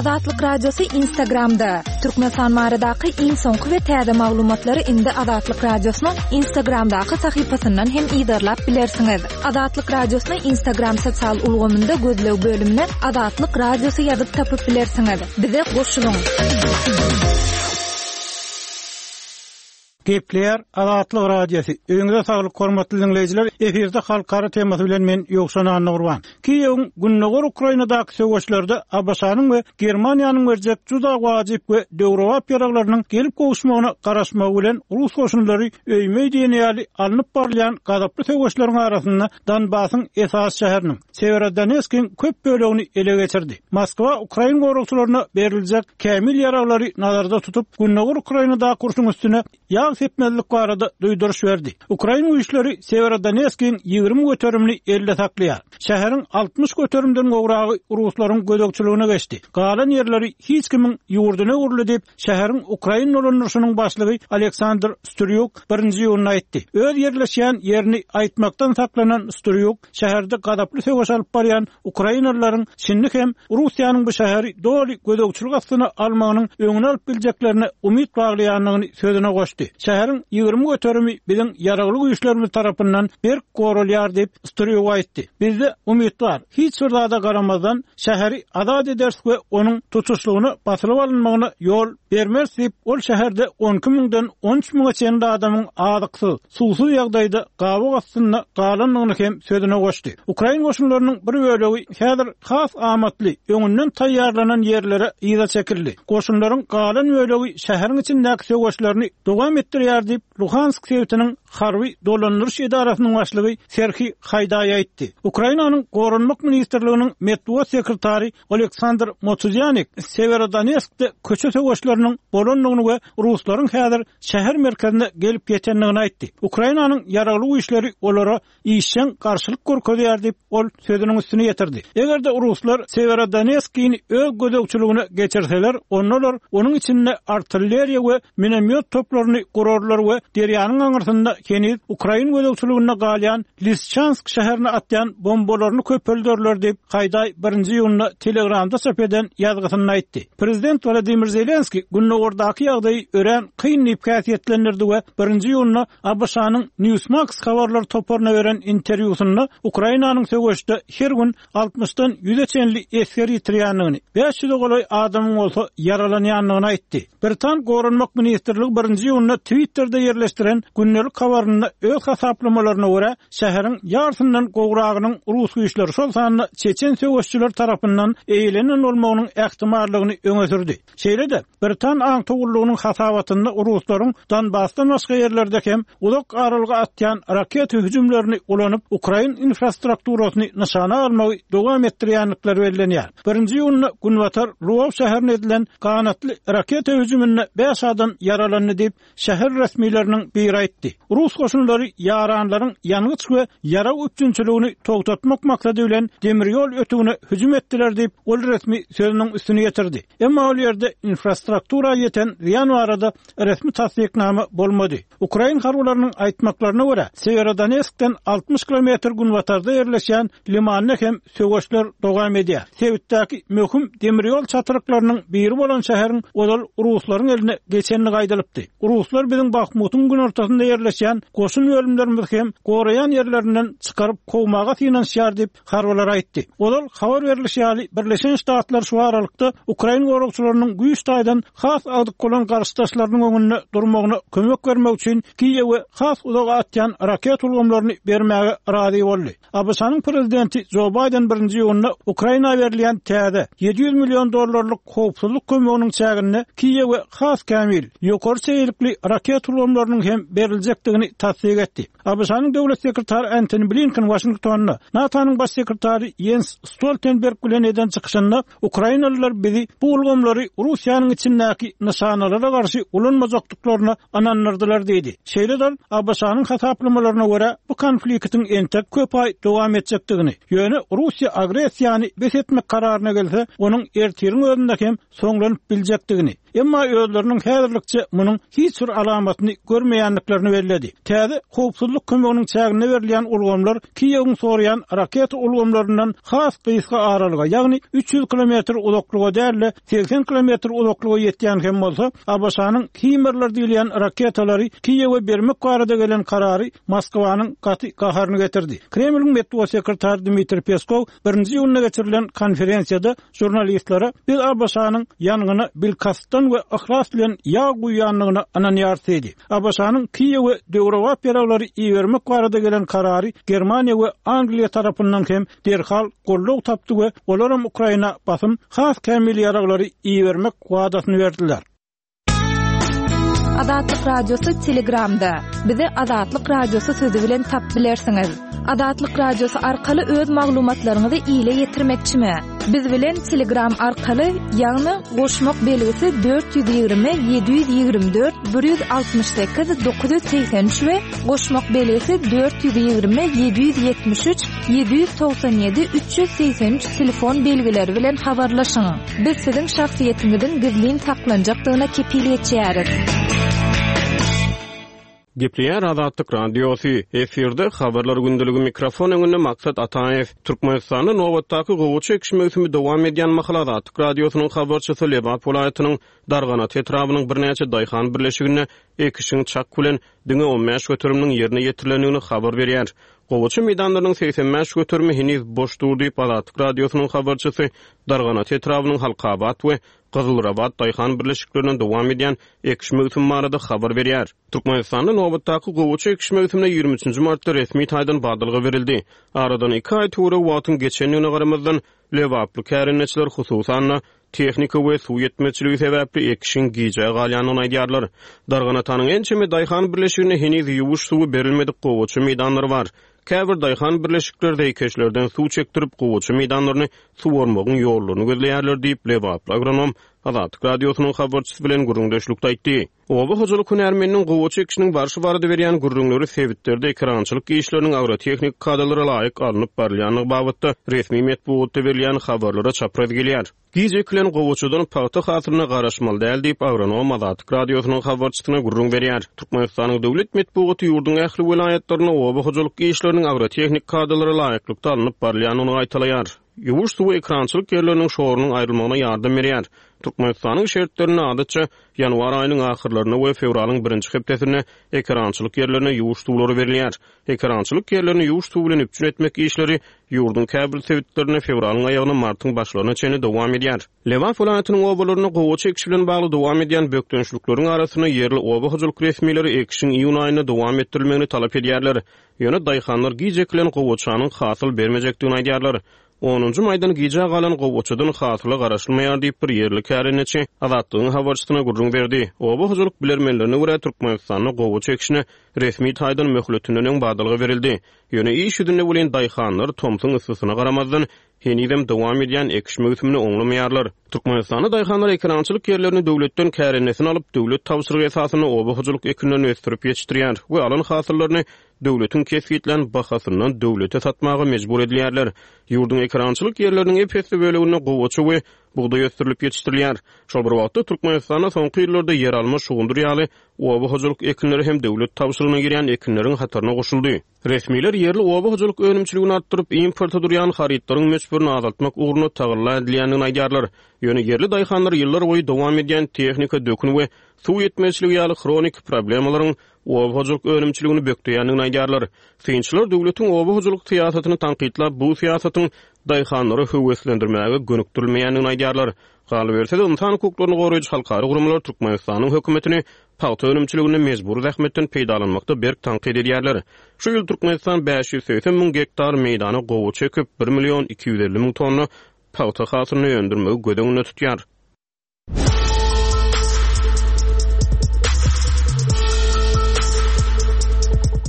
Azatlyk Radiosy Instagramda! Türkmenistan baradaky iň soňky we täze maglumatlary indi Azatlyk Radiosynyň Instagramdaky sahypasyndan hem yzarlap bilersiňiz. Azatlyk Radiosyny Instagram sosial ulgamynda gözleg bölümine Azatlyk Radiosy ýazyp tapyp bilersiňiz. Bize goşulyň! Gepleýär Azatlyk Radiosy. Öýüňize saglyk hormatly diňleýjiler. Efirde halkara temasy bilen men Ýowşan Annagurban. Kiýewiň Gündogar Ukrainadaky söweşlerde ABŞ-nyň we Germaniýanyň berjek juda wajyp we döwrebap ýaraglarynyň gelip gowuşmagyna garaşmagy bilen rus goşunlary öýme-öý diýen ýaly alnyp barylýan gazaply söweşleriň arasynda Donbasyň esasy şäheriniň, Sewerodoneskiň köp bölegini ele geçirdi. Moskwa ukrain goragçylaryna beriljek kämil ýaraglary nazarda tutup, Gündogar Ukrainadaky urşuň üstüne ýag sepmezlik barada duýduryş berdi. Ukrain güýçleri Sewerodoneskiň 20 göterimini elde saklaýar. Şäheriň 60 göterimden gowragy ruslaryň gözegçiligine geçdi. Galan ýerleri hiç kimiň ýurduna öwrüldi diýip, şäheriň ukrain dolandyryşynyň başlygy Aleksandr Strýuk birinji iýunda aýtdy. Öz ýerleşýän ýerini aýtmakdan saklanan Strýuk şäherde gazaply söweş alyp barýan ukrainalylaryň şindi hem Russiýanyň bu şäheri doly gözegçilik astyna almagynyň öňüni alyp biljeklerine umyt baglaýandygyny sözüne goşdy. Şäheriň 20 göterimi biziň ýaragly güýçlerimiz tarapyndan berk goralýar diýip, Strýuk aýtdy. Bizde umyt bar. Hiç bir zada garamazdan, şäheri azat ederis we onuň tutuşlygyna basylyp alynmagyna ýol bermeris diýip, ol şäherde 12 müňden 13 müňe çenli adamyň azyksyz, suwsuz ýagdaýda gabaw astynda galandygyny hem sözüne goşdy. Ukrain goşunlarynyň bir bölegi häzir has amatly, öňünden taýýarlanan ýerlere yza çekildi. Goşunlaryň galan bölegi şäheriň içindäki söweşlerini dowam etdirýär diýip, Luhansk sebitiniň harby dolandyryş edarasynyň başlygy Serhiý Haýdaý aýtdy. Ukrainanyň Goranmak ministrliginiň metbugat sekretary Oleksandr Motuzýanik Sewerodonetskde köçe söweşleriniň bolandygyny we ruslaryň häzir şäher merkezine gelip ýetendigini aýtdy. Ukrainanyň ýaragly güýçleri olara işjeň garşylyk görkezýär diýip, ol sözüniň üstüni ýetirdi. Eger-de ruslar Sewerodonetskini öz gözegçiligine geçirseler, onda olar onuň içinde artilleriýa we minomýot toplaryny gurarlar we derýanyň aňyrsynda heniz ukrain gözegçiliginde galýan Lisçansk şäherine atýan bombalaryny köpelderler diýip, Haýdaý birinji iýunda Telegramda çap eden ýazgysynda aýtdy. Prezident Wladimir Zelenskiý gündogardaky ýagdaýy örän kyn diýip häsiýetlendirdi we birinji iýunda ABŞ-nyň Newsmax habarlar toparyna beren interwýusynda Ukrainanyň söweşde her gün altmyşdan ýüze çenli esger ýitirýändigini, 500-e golaý adamyň bolsa ýaralanýandygyny aýtdy. Britan Goranmak ministrligi birinji iýunda Twitterde ýerleşdiren gündelik habarynda öz hasaplamalaryna görä, şäheriň ýarsyndan gowragynyň rus güýçleri, şol sanda çeçen söweşçileri tarapyndan eýelenen bolmagynyň ähtimallygyny öňe sürdi. Şeýle-de, britan aňtaw gullugynyň hasabatynda ruslaryň Donbasdan başga ýerlerde hem uzak aralyga atýan raketa hüjümlerini ulanyp, ukrain infrastrukturasyny nyşana almagy dowam etdirýändikleri bellenýär. Birinji iýunda günbatar Lwow şäherine edilen ganatly raketa hüjüminde bäş adam ýaralandy diýip, şäher resmileriniň biri aýtdy. Rus goşunlary ýaranlaryň ýangyç we ýarag üpjünçiligini togtatmak maksady bilen demir ýol ötügine hüjüm etdiler diýip, ol resmi sözüniň üstüni ýetirdi. Emma ol ýerde infrastruktura ýeten zyýan barada resmi tassyknama bolmady. Ukrain harbylarynyň aýtmaklaryna görä, Sewerodonetskden 60 kilometr günbatarda ýerleşýän Limanda hem söweşler dowam edýär. Sebitdäki möhüm demir ýol çatryklarynyň biri bolan şäheriň ozal ruslaryň eline geçendigi aýdylypdy. Ruslar biziň Bahmutyň günortasynda ýerleşýän goşun bölümlerimizi hem goraýan ýerlerinden çykaryp kowmaga synanyşýar diýip, harbylar aýtdy. Ozal habar berlişi ýaly, Birleşen Ştatlar şu aralykda ukrain goragçylarynyň güýç taýdan has agdyk bolan garşydaşlarynyň öňünde durmagyna kömek bermek üçin Kiýewe has uzaga atýan raketa ulgamlaryny bermäge razy boldy. ABŞ-nyň prezidenti Jo Baýden birinji iýunda Ukraina berilýän täze, 700 million dollarlyk howpsuzlyk kömeginiň çäginde Kiýewe has kämil, ýokary çeýelikli raketa ulgamlarynyň hem beriljekdigini tassyk etdi. ABŞ-nyň döwlet sekretary Antoni Blinken Waşingtonda NATO-nyň baş sekretary Ýens Stoltenberg bilen eden çykyşynda Ukrainalylar bizi bu ulgamlary Russiýanyň içindäki nyşanalara garşy ulanmajakdyklaryna ynandyrdylar diýdi. Şeýle-de ol ABŞ-nyň hasaplamalaryna görä, bu konfliktiň entek köp aý dowam etjekdigini, ýöne Russiýa agressiýany bes etmek kararyna gelse, onuň ertiriň özünde hem soňlanyp biljekdigini. Emma özleriniň häzirlikçe munuň hiç bir alamatyny görmeýändiklerini belledi. Täze howpsuzlyk kömeginiň çäginde berilýän ulgamlar Kiýewiň soraýan raketa ulgamlaryndan has gysga aralyga, ýagny 300 kilometr uzaklyga däl-de, 80 kilometr uzaklyga ýetýän hem bolsa, ABŞ-nyň Himerler diýilýän raketalary Kiýewe bermek barada gelen karary Moskwanyň gaty gaharyny getirdi. Kremliň metbugat sekretary Dmitriý Peskow birinji iýunda geçirilen konferensiýada žurnalistlere biz ABŞ-nyň ýangyna bilkastdan we yhlas bilen ýag guýýandygyna ynanýarys diýdi. ABŞ-nyň Kiýewe döwrebap ýaraglary ibermek barada gelen karary Germaniýa we Angliýa tarapyndan hem derhal goldaw tapdy we olaram Ukraina basym has kämil ýaraglary ibermek wadasyny berdiler. Azatlyk Radiosy Telegramda. Bizi Azatlyk Radiosy sözi bilen tapyp bilersiňiz. Azatlyk Radiosy arkaly öz maglumatlaryňyzy ile ýetirmekçimi? Biz bilen Telegram arkaly, ýagny goşmak belgisi 420 724 168 983 we goşmak belgisi 420 773 797 383 telefon belgileri bilen habarlaşyň. Biz siziň şahsyýetiňiziň gizlin saklanjakdygyna kepil geçýäris. Gepleýär Azatlyk Radiosy, Efirde Habarlar gündeligi mikrofon öňünde Maksat Ataýew. Türkmenistanda nobatdaky gowaça ekiş möwsümi dowam edýän mahaly Azatlyk Radiosynyň habarçysy Lebap welaýatynyň Darganata etrabynyň birnäçe daýhan birleşiginde ekişiň çak bilen diňe 15 göteriminiň ýerine ýetirilendigini habar berýär. Gowaça meýdanlarynyň 85 göterimi heniz boş dur diýip, Azatlyk Radiosynyň habarçysy Darganata etrabynyň Halkabat we Gyzylrabat daýhan birleşiklerinde dowam edýän ekiş möwsümi barada habar berýär. Türkmenistanda nobatdaky gowaça ekiş möwsümine 23-nji martda resmi taýdan badalga berildi. Aradan iki aý töweregi wagtyň geçendigine garamazdan, lebaply kärendeçiler, hususan-da, tehnika we suw ýetmezçiligi sebäpli ekişiň gijä galýandygyny aýdýarlar. Darganatanyň ençeme daýhan birleşiginde heniz ýuwuş suwy berilmedik gowaça meýdanlary bar. Käbir daýhan birleşikler zeýkeşlerden suw çekdirip, gowaça meýdanlaryny suwarmagyň ýollaryny gözleýärler diýip, lebaply agronom Azatlyk Radiosynyň habarçysy bilen gürrüňdeşlikde aýtdy. Oba hojalyk hünärmeniniň gowaça ekişiniň barşy barada berýän gürrüňleri sebitlerde ekerançylyk işleriniň agrotehnik kadalara laýyk alnyp barylýandygy babatda resmi metbugatda berilýän habarlara çapraz gelýär. Giç ekilen gowaçadan pagta hasylyna garaşmaly däl diýip, agronom Azatlyk Radiosynyň habarçysyna gürrüň berýär. Türkmenistanyň döwlet metbugaty ýurduň ähli welaýatlarynda oba hojalyk işleriniň agrotehnik kadalara laýyklykda alnyp barylýandygyny gaýtalaýar. Ýuwuş suwy ekrançylyk ýerleriniň şorunyň aýrylmagyna ýardam berýär. Türkmenistanyň şertlerinde adatça ýanwar aýynyň ahyrlarynda we fewralyň birinji hepdesinde ekerançylyk ýerlerine ýuwuş suwlary berilýär. Ekerançylyk ýerlerini ýuwuş suwy bilen üpjün etmek işleri ýurduň käbir sebitlerinde fewralyň aýagyna martyň başlaryna çenli dowam edýär. Lebap welaýatynyň obalarynda gowaça ekişi bilen bagly dowam edýän bökdençlikleriň arasynda ýerli oba hojalyk resmileri ekişiň iýun aýynda dowam etdirilmegini talap edýärler. Ýöne daýhanlar giç ekilen gowaçanyň hasyl bermejekdigini aýdýarlar. Onunjy maýdan gijä galan gowaçadan hasyla garaşylmaýar diýip, bir ýerli kärendeçi Azatlygyň habarçysyna gürrüň berdi. Oba hojalyk bilermenlerine görä, Türkmenistanda gowaça ekişine resmi taýdan möhletinden öň badalga berildi. Ýöne iş ýüzünde welin daýhanlar tomsuň yssysyna garamazdan, henizem dowam edýän ekiş möwsümini oňlamaýarlar. Türkmenistanda daýhanlar ekerançylyk ýerlerini döwletden kärendesine alyp, döwlet tabşyrygy esasynda oba hojalyk ekinlerini ösdürip ýetişdirýär we alan hasyllaryny döwletiň kesgitlän bahasyndan döwlete satmaga mejbur edilýärler. Ýurduň ekerançylyk ýerleriniň ep-esli böleginde gowaça we bugdaý ösdürilip ýetişdirilýär. Şol bir wagtda, Türkmenistanda soňky ýyllarda ýeralma, şugundyr ýaly oba hojalyk ekinleri hem döwlet tabşyrygyna girýän ekinleriň hataryna goşuldy. Resmiler ýerli oba hojalyk önümçiligini artdyryp, importa durýan harytlaryň möçberini azaltmak ugrunda tagalla edilýändigini aýdýarlar. Ýöne ýerli daýhanlar ýyllarboýy dowam edýän tehnika, dökün we suw ýetmezçiligi ýaly hroniki problemalaryň oba hojalyk önümçiligini bökdeýändigini aýdýarlar. Synçylar döwletiň oba hojalyk syýasatyny tankytlap, bu syýasatyň daýhanlary höweslendirmäge gönükdirilmeýändigini aýdýarlar. Galyberse-de, ynsan hukuklaryny goraýjy halkara guramalar Türkmenistanyň hökümetini pagta önümçiliginde mejbury zähmetden peýdalanmakda berk tankyt edýärler. Şu ýyl Türkmenistan 580 müň gektar meýdana gowaça ekip, bir million 250 müň tonna pagta hasylyny öndürmegi göz öňünde tutýar.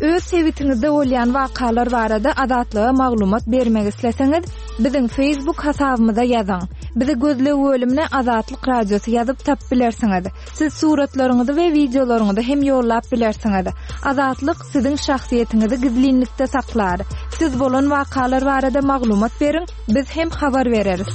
Öz sebitiňizde bolýan wakalar barada Azatlyga maglumat bermek isleseňiz, biziň Facebook hasabymyza ýazyň. Bizi gözleg bölümine Azatlyk Radiosy ýazyp tapyp bilersiňiz. Siz suratlaryňyzy we wideolaryňyzy hem ýollap bilersiňiz. Azatlyk siziň şahsyýetiňizi gizlinlikde saklar. Siz bolan wakalar barada maglumat beriň, biz hem habar bereris.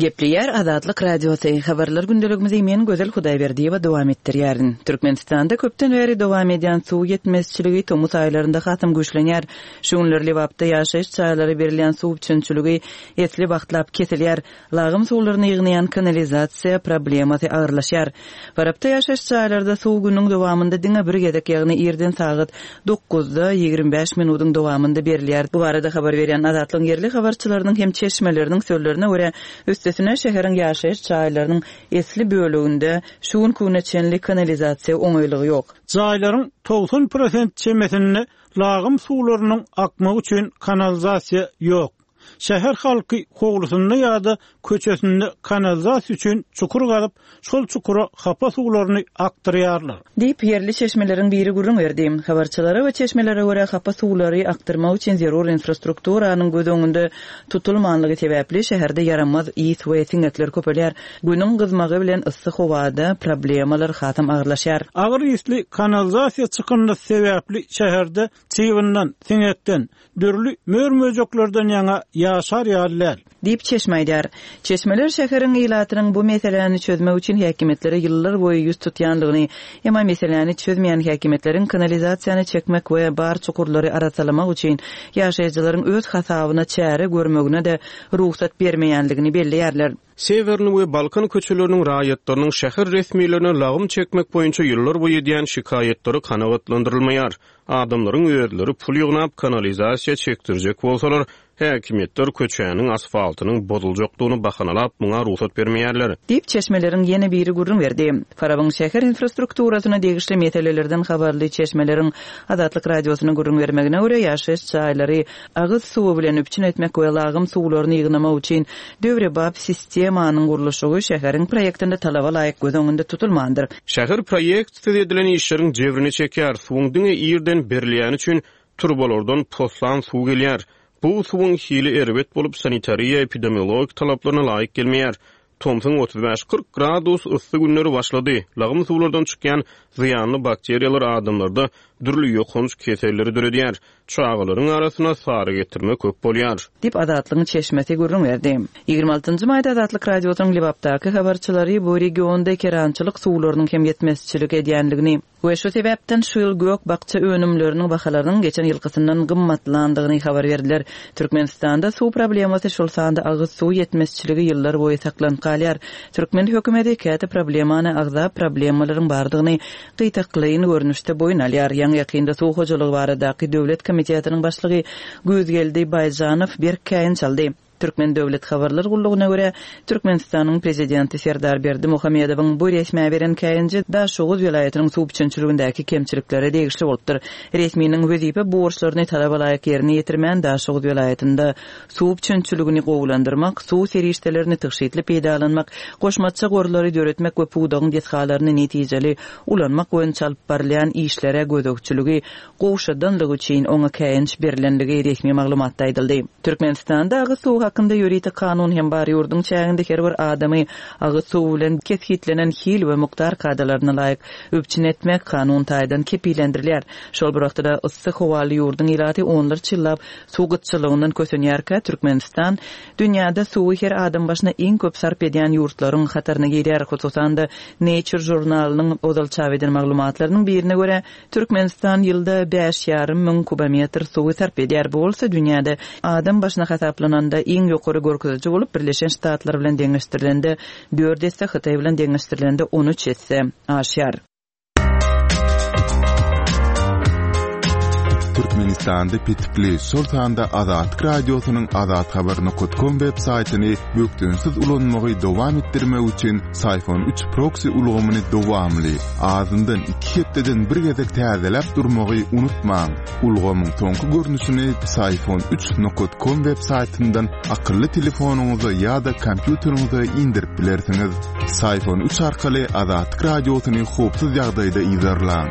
Gepleýär Azatlyk Radiosy, Habarlar gündeligimizi men Gözel Hudaýberdiýewa dowam etdirýärin. Türkmenistanda köpden bäri dowam edýän suw ýetmezçiligi tomus aýlarynda hasam güýçlenýär. Şu günler Lebapda ýaşaýyş jaýlara berilýän suw üpjünçiligi esli wagtlap kesilýär. Lagym suwlaryny ýygnaýan kanalizasiýa problemasy agyrlaşýar. Farapda ýaşaýyş jaýlarda suw günüň dowamynda diňe bir gezek, ýagny irden sagat dokuzda 25 minudyň dowamynda berilýär. Bu barada habar berýän Azatlygyň ýerli habarçylarynyň hem çeşmeleriniň sözlerine görä, üstesine şäheriň ýaşaýyş jaýlarynyň esli böleginde şu günki güne çenli kanalizasiýa oňaýlygy ýok. Jaýlaryň 90 prosent çemesinde lagym suwlarynyň akmagy üçin kanalizasiýa ýok. Şäher halky howlusynda ýa-da köçesinde kanalizasiýa üçin çukur gazyp, şol çukura hapa suwlaryny akdyrýarlar. Diýip, ýerli çeşmeleriň biri gürrüň berdi. Habarçylara we çeşmelere görä, hapa suwlary akdyrmak üçin zerur infrastrukturanyň göz öňünde tutulmanlygy sebäpli, şäherde ýaramaz ys we siňekler köpelýär. Günüň gyzmagy bilen yssy howada problemalar hasam agyrlaşýar. Agyr ysly kanalizasiýa çykyndysy sebäpli şäherde çybyndan, siňekden, dürli mör-möjeklerden ýaňa ýaşar ýaly däl. Diýip, çeşme aýdýar. Çeşmeler şäheriň ilatynyň bu meseläni çözmek üçin häkimiýetlere ýyllar boýy ýüz tutýandygyny, emma meseläni çözmeýän häkimiýetleriň kanalizasiýany çekmek we bar çukurlary arassalamak üçin ýaşaýjylaryň öz hasabyna çäre görmegine-de rugsat bermeýändigini belleýärler. Sewerny we Balkan köçeleriniň raýatlarynyň şäher resmilerine lagym çekmek boýunça ýyllar boýy edýän şikaýatlary kanagatlandyrylmaýar. Adamlaryň özleri pul ýygnap, kanalizasiýa çekdirjek bolsalar, häkimiýetler köçäniň asfaltynyň bozuljakdygyny bahanalap, muňa rugsat bermeýärler. Diýip, çeşmeleriň ýene biri gürrüň berdi. Farabyň şäher infrastrukturasyna degişli meselelerden habarly çeşmeleriň Azatlyk Radiosyna gürrüň bermegine görä, ýaşaýyş jaýlary agyz suwy bilen üpjün etmek we lagym suwlaryny ýygnamak üçin döwrebap sistemanyň gurluşygy şäheriň proýektinde talaba laýyk göz öňünde tutulmandyr. Şäher proýektsiz edilen işleriň jebrini çekýär, suwuň diňe irden berilýäni üçin turbalardan poslan suw gelýär. Bu suwuň hili erbet bolup, sanitariýa-epidemiologik talaplaryna laýyk gelmeýär. Tomsuň 35-40 gradus yssy günleri başlady. Lagym suwlardan çykýan zyýanly bakteriýalar adamlarda dürli ýokanç keselleri döredýär. Çagalaryň arasynda sary getirme köp bolýar. Diýip, Azatlygyň çeşmesi gürrüň berdi. 26 nji maýda Azatlyk Radiosynyň Lebapdaky habarçylary bu regionda ekerançylyk suwlarynyň hem ýetmezçilik edýändigini we şu sebäpden şu ýyl gök-bakja önümleriniň bahalarynyň geçen ýylkysyndan gymmatlandygyny habar berdiler. Türkmenistanda suw problemasy, şol sanda agyz suw ýetmezçiligi ýyllar boýy saklanyp galýar. Türkmen hökümeti käte problemany agzap, problemalaryň bardygyny gytaklaýyn görnüşde boýun alýar. Ýaňy-ýakynda Suw hojalygy baradaky döwlet komitetiniň başlygy Güýzgeldi Baýjanow berk käýinç aldy. Türkmen döwlet habarlar gullugyna görä, Türkmenistanyň Prezidenti Serdar Berdimuhamedowyň bu resmä beren käýinji Daşoguz welaýatynyň suw üpjünçiligindäki kemçiliklere degişli bolupdyr. Resminiň wezipe borçlaryny talaba laýyk ýerine ýetirmän Daşoguz welaýatynda suw üpjünçiligini gowulandyrmak, suw serişdelerini tygşytly peýdalanmak, goşmaça gorlary döretmek we pudagyň desgalaryny netijeli ulanmak boýunça alyp barylýan işlere gözegçiligi gowşadanlygy üçin oňa käýinç berlenligi resmi maglumatda aýdyldy. Türkmenistanda agyz suwy hakynda ýörite kanun hem bar, ýurduň çäginde her bir adamy agyz suwy bilen kesgitlenen hil we mukdar kadalaryna laýyk üpjün etmek kanun taýdan kepillendirilýär. Şol bir wagtda-da yssy howaly ýurduň ilaty onlarça ýyllap Suw gytçylygyndan kösenýärkä, Türkmenistan dünýäde suwy her adam başyna iň köp sarp edýän ýurtlaryň hataryna girýär. Hususan-da, Nature žurnalynyň ozal çap eden maglumatlarynyň birine görä, Türkmenistan ýylda bäş ýarym müň kubometr suwy sarp edýär. Bu bolsa dünýäde adam başyna hasaplananda iň ýokary görkeziji bolup, Birleşen Ştatlar bilen deňeşdirilende dört esse, Hytaý bilen deňeşdirilende 13 esse aşýar. Türkmenistanda petikli, şol sanda Azatlyk Radiosynyň azathabar.com web saýtyny bökdençsiz ulanmagy dowam etdirmek üçin Syfon 3 proksi ulgamyny dowamly, azyndan iki hepdeden bir gezek täzeläp durmagy unutmaň. Ulgamyň soňky görnüşini Syfon 3 com web saýtyndan akylly telefonyňyza ýa-da kompýuteriňize indirip bilersiňiz. Syfon 3 arkaly Azatlyk Radiosyny howpsuz ýagdaýda yzarlaň.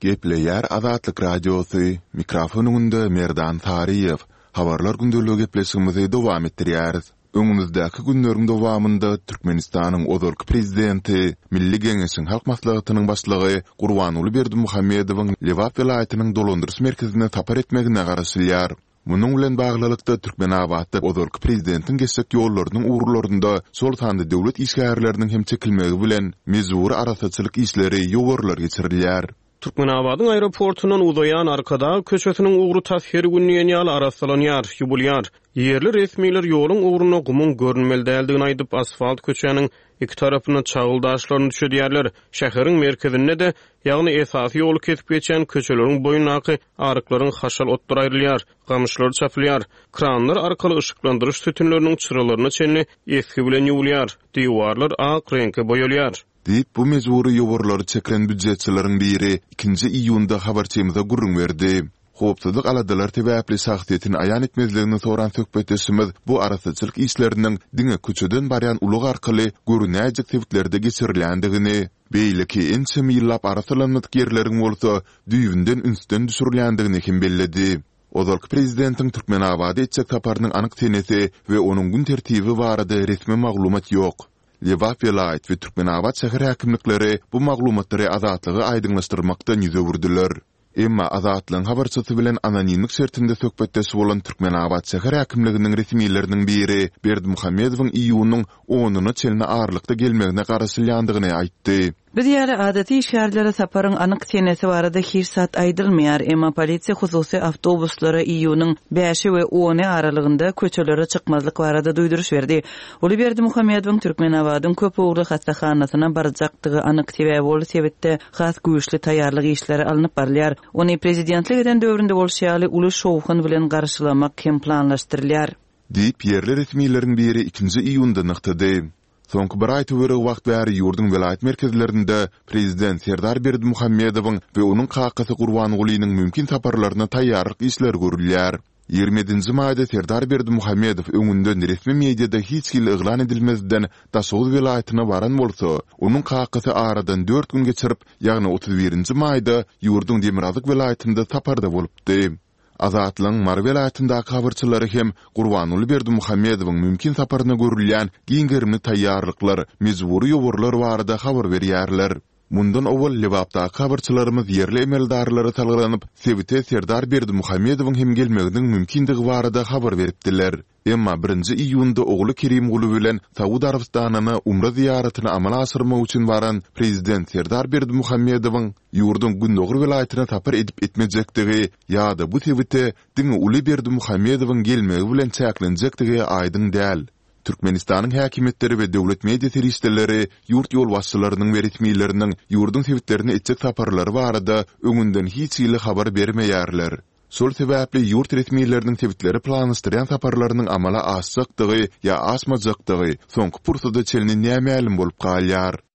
Gepleýär Azatlyk Radiosy, mikrofon öňünde Merdan Saryýew. Habarlar gündeligi gepleşigimizi dowam etdirýäris. Öňümizdäki günleriň dowamynda Türkmenistanyň ozalky Prezidenti, Milli Geňeşiň Halk Maslahatynyň Başlygy Gurbanguly Berdimuhamedowyň Lebap welaýatynyň dolandyryş merkezine sapar etmegine garaşylýar. Munuň bilen baglylykda, Türkmenabatda ozalky prezidentiň geçjek ýollarynyň ugurlarynda, şol sanda döwlet işgärleriniň hem çekilmegi bilen, mejbury arassaçylyk işleri, ýowarlar geçirilýär. Türkmenabadyň aeroportundan uzaýan Arkadag köçesiniň ugry tas her gün diýen ýaly arassalanýar, ýuwulýar. Ýerli resmiler ýoluň ugrunda gumuň görünmeli däldigini aýdyp, asfalt köçäniň iki tarapyna çagyl daşlaryny düşedýärler. Şäheriň merkezinde-de, ýagny esasy ýoly kesip geçýän köçeleriň boýundaky aryklaryň haşal otlary aýrylýar, gamyşlary çapylýar. Kranlar arkaly yşyklandyryş sütünleriniň çyralaryna çenli esgi bilen ýuwulýar, diwarlar ak reňke boýalýar. Diýip, bu mejbury ýowarlary çeken býujetçileriň biri ikinji iýunda habarçymyza gürrüň berdi. Howpsuzlyk aladalary sebäpli şahsyýetini aýan etmezligini soran söhbetdeşimiz bu arassaçylyk işleriniň diňe köçeden barýan ulag arkaly görünäýjek sebitlerde geçirilýändigini, beýleki ençeme ýyllap arassalanmadyk ýerleriň bolsa düýbünden ünsden düşürilýändigini hem belledi. Ozalky prezidentiň Türkmenabada etjek saparynyň anyk senesi we onuň gün tertibi barada resmi maglumat ýok. Lebap welaýat we Türkmenabat şäher häkimlikleri bu maglumatlary Azatlyga aýdyňlaşdyrmakdan ýüz öwürdiler. Emma Azatlygyň habarçysy bilen anonimlik şertinde söhbetdeş bolan Türkmenabat şäher häkimliginiň resmileriniň biri Berdimuhamedowyň iýunyň onuna çenli aralykda gelmegine garaşylýandygyny aýtdy. Biz ýaly adaty işgärlere saparyň anyk senesi barada hiç zat aýdylmaýar, emma polisiýa hususy awtobuslara iýunyň bäşi we ony aralygynda köçelere çykmazlyk barada duýduryş berdi. Uly Berdimuhamedowyň Türkmenabadyň köp ugurly hassahanasyna barjakdygy anyk, sebäbi ol sebitde has güýçli taýýarlyk işleri alnyp barylýar. Ony prezidentlik eden döwründe bolşy ýaly uly şowhun bilen garşylamak hem planlaşdyrylýar. Diýip, ýerli resmileriň biri ikinji iýunda nygtady. Soňky bir aý töweregi wagt bäri ýurduň welaýat merkezlerinde prezident Serdar Berdimuhamedowyň we onuň kakasy Gurbangulynyň mümkin saparlaryna taýýarlyk işleri görülýär. 27 nji maýda Serdar Berdimuhamedow öňünden resmi mediada hiç hili yglan edilmezden Daşoguz welaýatyna baran bolsa, onuň kakasy aradan dört gün geçirip, ýagny 31 nji maýda ýurduň demirgazyk welaýatynda saparda bolupdy. Azatlygyň Mary welaýatyndaky habarçylary hem Gurbanguly Berdimuhamedowyň mümkin saparyna görülýän giň gerimli taýýarlyklar, mejbury ýowarlar barada habar berýärler. Mundan owal Lebapdaky habarçylarymyz ýerli emeldarlara salgylanyp, sebite Serdar Berdimuhamedowyň hem gelmeginiň mümkindigi barada habar beripdiler. Emma birinji iýunda ogly Kerimguly bilen Saud Arabystanyna umra zyýaratyny amala aşyrmak üçin baran prezident Serdar Berdimuhamedowyň ýurduň gündogar welaýatyna sapar edip-etmejekdigi ýa-da bu sebite diňe uly Berdimuhamedowyň gelmegi bilen çäklenjekdigi aýdyň däl. Türkmenistanyň häkimiýetleri we döwlet media serişdeleri ýurt ýolbaşçylarynyň we resmileriniň ýurduň sebitlerine etjek saparlary barada öňünden hiç hili habar bermeýärler. Şol sebäpli ýurt resmileriniň sebitlere planlaşdyrýan saparlarynyň amala aşjakdygy ýa aşmajakdygy soňky pursada çenli nämälim bolup galýar.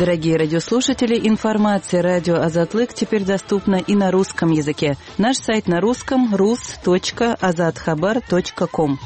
Дорогие радиослушатели, информация радио Азатлык теперь доступна и на русском языке. Наш сайт на русском rus.azathabar.com.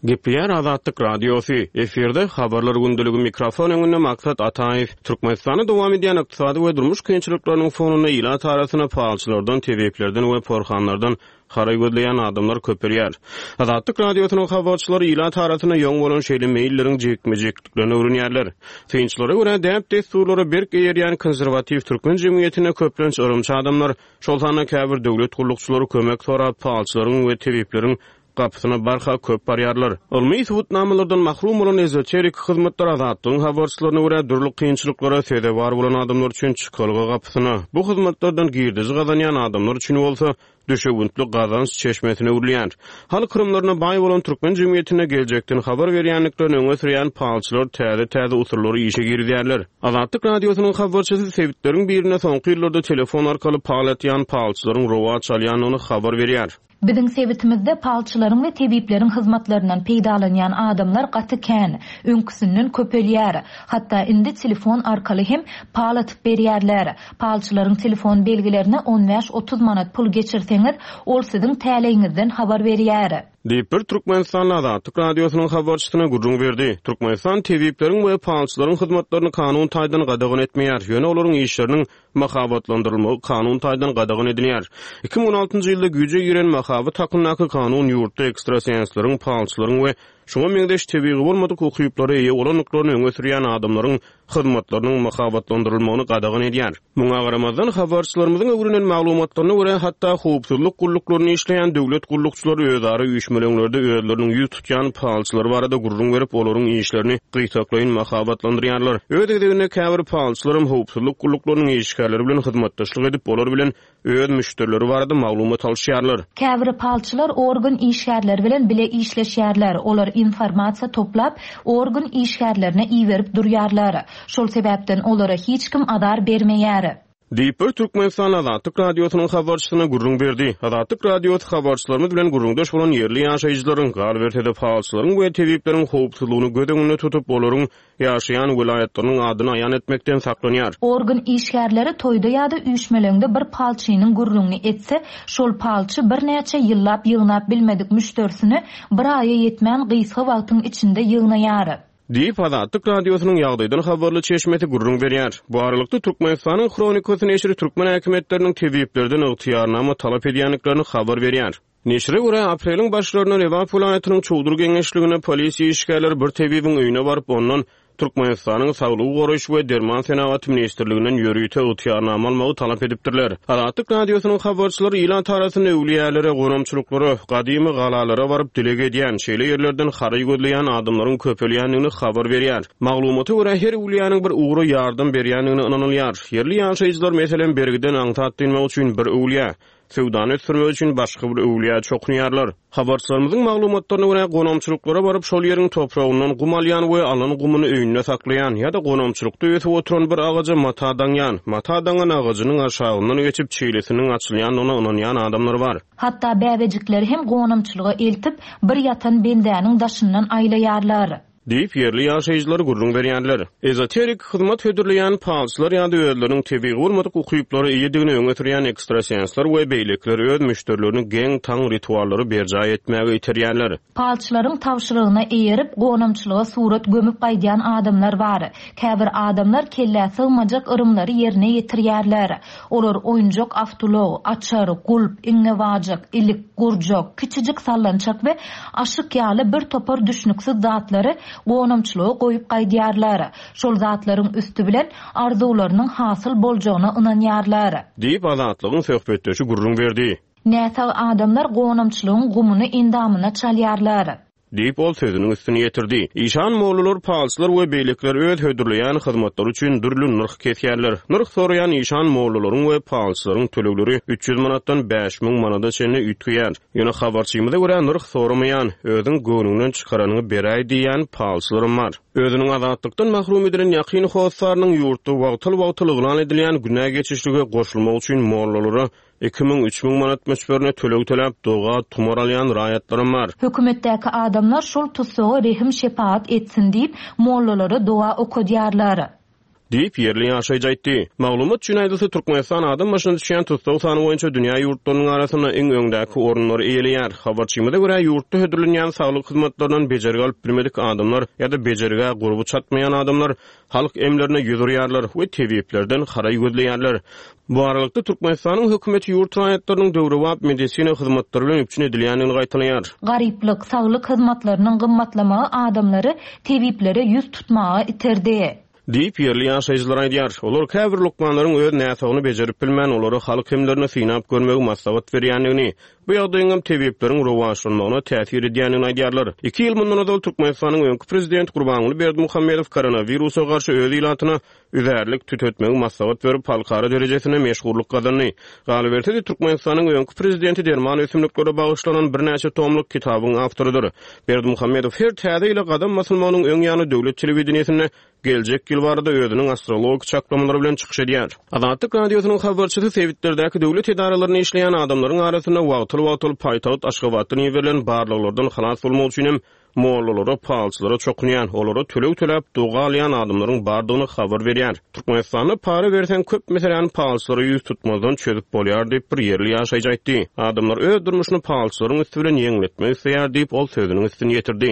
Gepleýär Azatlyk Radiosy, efirde Habarlar gündeligi mikrofon öňünde Maksat Ataýew. Türkmenistanda dowam edýän ykdysady we durmuş kynçylyklarynyň fonunda ilat arasynda palçylardan, tebiplerden we porhanlardan haraý gözleýän adamlar köpelýär. Azatlyk Radiosynyň habarçylary ilat arasynda ýoň bolan şeýle meýilleriň jikme-jikliklerini öwrenýärler. Synçylara görä, däp-dessurlara berk eýerýän konserwatiw türkmen jemgyýetinde köplenç yrymçy adamlar, şol sanda käbir döwlet gullukçylary kömek sorap palçylaryň we tebipleriň gapysyna barha köp barýarlar. Ylmy subutnamalardan mahrum bolan ezoterik hyzmatlar Azatlygyň habarçylaryna görä, dürli kynçylyklara sezewar bolan adamlar üçin çykalga gapysyna, bu hyzmatlardan girdeji gazanýan adamlar üçin bolsa, düşewüntli gazanç çeşmesine öwrülýär. Halk yrymlaryna baý bolan türkmen jemgyýetinde geljekden habar berýändiklerini öňe sürýän palçylar täze-täze usullary işe girizýärler. Azatlyk Radiosynyň habarçysy sebitleriň birinde soňky ýyllarda telefon arkaly pal atýan palçylaryň rowaç alýandygyny habar berýär. Biziň sebitimizde palçylaryň we tebipleriň hyzmatlaryndan peýdalanýan adamlar gaty kän, öňküsinden köpelýär. Hatda indi telefon arkaly hem pal atyp berýärler. Palçylaryň telefon belgilerine on bäş-otuz manat pul geçirseňiz, ol siziň täleýiňizden habar berýär. Diýip, bir türkmenistanly Azatlyk Radiosynyň habarçysyna gürrüň berdi. Türkmenistan tebipleriň we palçylaryň hyzmatlaryny kanun taýdan gadagan etmeýär, ýöne olaryň işleriniň mahabatlandyrylmagy kanun taýdan gadagan edilýär. 2016-njy ýylda güýje giren Mahabat hakyndaky kanun ýurtda ekstrasensleriň, palçylaryň we. şuňa meňzeş tebigy bolmadyk ukyplara eýe bolandyklaryny öňe sürýän adamlaryň hyzmatlarynyň mahabatlandyrylmagyny gadagan edýär. Muňa garamazdan, habarçylarymyzyň öwrenen maglumatlaryna görä, hatda howpsuzlyk gulluklarynda işleýän döwlet gullukçylary özara üýşmeleňlerde özleriniň ýüz tutýan palçylary barada gürrüň berip, olaryň işlerini gytaklaýyn mahabatlandyrýarlar. Öz gezeginde käbir palçylaram howpsuzlyk gulluklarynyň işgärleri bilen hyzmatdaşlyk edip, olar bilen öz müşderileri barada maglumat alyşýarlar. Käbir palçylar organ işgärleri bilen bile işleşýärler, olar informasiýa toplap, organ işgärlerine iberip durýarlar. Şol sebäpden olara hiç kim azar bermeýär. Diýip, bir türkmenistanly Azatlyk Radiosynyň habarçysyna gürrüň berdi. Azatlyk Radiosy habarçylarymyz bilen gürrüňdeş bolan ýerli ýaşaýjylaryň, galyberse-de palçylaryň we tebipleriň howpsuzlygyny göz öňünde tutup, olaryň ýaşaýan welaýatlarynyň adyny aýan etmekden saklanýar. Organ işgärleri toýda ýa-da üýşmeleňde bir palçynyň gürrüňini etse, şol palçy birnäçe ýyllap ýygnap bilmedik müşderisini bir aýa ýetmän gysga wagtyň içinde ýygnaýar. Diýip, Azatlyk Radiosynyň ýagdaýdan habarly çeşmesi gürrüň berýär. Bu aralykda, Türkmenistanyň Hronikasy neşiri türkmen häkimiýetleriniň tebiplerden ygtyýarnama talap edýändiklerini habar berýär. Neşire görä, apreliň başlarynda Lebap welaýatynyň Çowdur geňeşliginde polisiýa işgärleri bir tebibiň öýüne baryp, ondan Türkmenistanyň Saglygy goraýyş we derman senagaty ministrliginden ýörite ygtyýarnama almagy talap edipdirler. Azatlyk Radiosynyň habarçylary ilat arasynda öwlüýälere, gonamçylyklara, gadymy galalara baryp dileg edýän, şeýle ýerlerden haraý gözleýän adamlaryň köpelýändigini habar berýär. Maglumata görä, her öwlüýäniň bir ugra ýardam berýändigine ynanylýar. Ýerli ýaşaýjylar, meselem, bergiden aňsat dynmak üçin bir öwlüýä, Söwdany ösdürmek üçin başga bir öwlüýä çokunýarlar. Habarçylarymyzyň maglumatlaryna görä, gonamçylyklara baryp, şol ýeriň topragyndan gum alýan we alan gumuny öýünde saklaýan ýa-da gonamçylykda ösüp oturan bir agaja mata daňýan, mata daňan agajynyň aşagyndan geçip, çilisiniň açylýandygyna ynanýan adamlar bar. Hatda bäbejikleri hem gonamçylyga eltip, bir ýatan bendäniň daşyndan aýlaýarlar. Diýip, ýerli ýaşaýjylar gürrüň berýärler. Ezoterik hyzmat hödürleýän palçylar ýa-da özleriniň tebigy bolmadyk ukyplara eýedigini öňe sürýän ekstrasensler we beýlekiler öz müşderilerini geň-taň rituallary berjaý etmäge iterýärler. Palçylaryň tabşyrygyna eýerip, gonamçylyga surat gömüp gaýdýan adamlar bar. Käbir adamlar kellä sygmajak yrymlary ýerine ýetirýärler. Olar oýunjak awtoulag, açar, gulp, iňňebajyk, ilik, gurjak, kiçijik sallançak we aşyk ýaly bir topar düşnüksiz zatlary gonamçylyga goýup gaýdýarlar. Şol zatlaryň üsti bilen arzuwlarynyň hasyl boljagyna ynanýarlar. Diýip, Azatlygyň söhbetdeşi gürrüň berdi. Näsag adamlar gonamçylygyň gumuny endamyna çalýarlar. Diýip, ol sözüniň üstüni ýetirdi. Işan mollalar, palçylar we beýlekiler öz hödürleýän hyzmatlary üçin dürli nyrh kesýärler. Nyrh soraýan işan mollalaryň we palçylaryň tölegleri 300 manatdan 5000 manada çenli üýtgeýär. Ýöne habarçymyza görä, nyrh soramaýan, özüň göwnüňden çykaranyňy beräý diýýän palçylaram bar. Özüniň azatlykdan mahrum edilen ýakyn hossarynyň ýurtda wagtal-wagtal yglan edilýän günä geçişlige goşulmak üçin mollalara 2000, 3000 manat möçberinde töleg töläp, doga, tumar alýan raýatlaram bar. Hökümetdäki adamlar şol tussaga rehim-şepagat etsin diýip, mollalara doga okadýarlar. Diýip, ýerli ýaşaýjy aýtdy. Maglumat üçin aýdylsa, Türkmenistan adam başyna düşýän tussag sany boýunça dünýä ýurtlarynyň arasynda iň öňdäki orunlary eýeleýär. Habarçymyza görä, ýurtda hödürlenýän saglyk hyzmatlaryndan bejergi alyp bilmedik adamlar ýa-da bejergä gurby çatmaýan adamlar halk emlerine ýüz urýarlar we tebiplerden haraý gözleýärler. Bu aralykda, Türkmenistanyň hökümeti ýurt raýatlarynyň döwrebap medisina hyzmatlary bilen üpjün edilýändigini gaýtalaýar. Garyplyk, saglyk hyzmatlarynyň gymmatlamagy adamlary tebiplere ýüz tutmaga iterdi. Diýip, ýerli ýaşaýjylar aýdýar. Olar käbir lukmanlaryň öz näsagyny bejerip bilmän, olara halk emlerini synap görmegi maslahat berýändigini, bu ýagdaýyňam tebipleriň rowaçlanmagyna täsir edýändigini aýdýarlar. Iki ýyl mundan ozal Türkmenistanyň öňki prezidenti Gurbanguly Berdimuhamedow koronawirusa garşy öz ilatyna üzärlik tütetmegi maslahat berip, halkara derejesinde meşhurlyk gazandy. Galyberse-de, Türkmenistanyň öňki prezidenti derman ösümliklere bagyşlanan birnäçe tomluk kitabyň awtorydyr. Berdimuhamedow her täze ýyla gadam basylmagynyň öň ýany döwlet telewideniýesinde geljek ýyl barada özüniň astrologik çaklamalary bilen çykyş edýär. Azatlyk Radiosynyň habarçysy sebitlerdäki döwlet edaralarynda işleýän adamlaryň arasynda wagtal-wagtal paýtagt Aşgabatdan iberilen barlaglardan halas bolmak üçin hem Mollalara, palçylara çokunýan, olara töleg töläp, doga alýan adamlaryň bardygyny habar berýär. Türkmenistanda para berseň, köp meseläni palçylara ýüz tutmazdan çözüp bolýar diýip, bir ýerli ýaşaýjy aýtdy. Adamlar öz durmuşyny palçylaryň üsti bilen ýeňletmek isleýär diýip, ol sözüniň üstüni ýetirdi.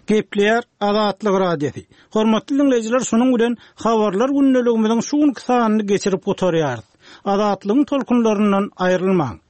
Gepleýär Azatlyk Radiosy. Hormatly diňleýjiler, şunuň bilen Habarlar gündeligimiziň şu günki sanyny geçirip gutarýarys. Azatlygyň tolkunlaryndan aýrylmaň!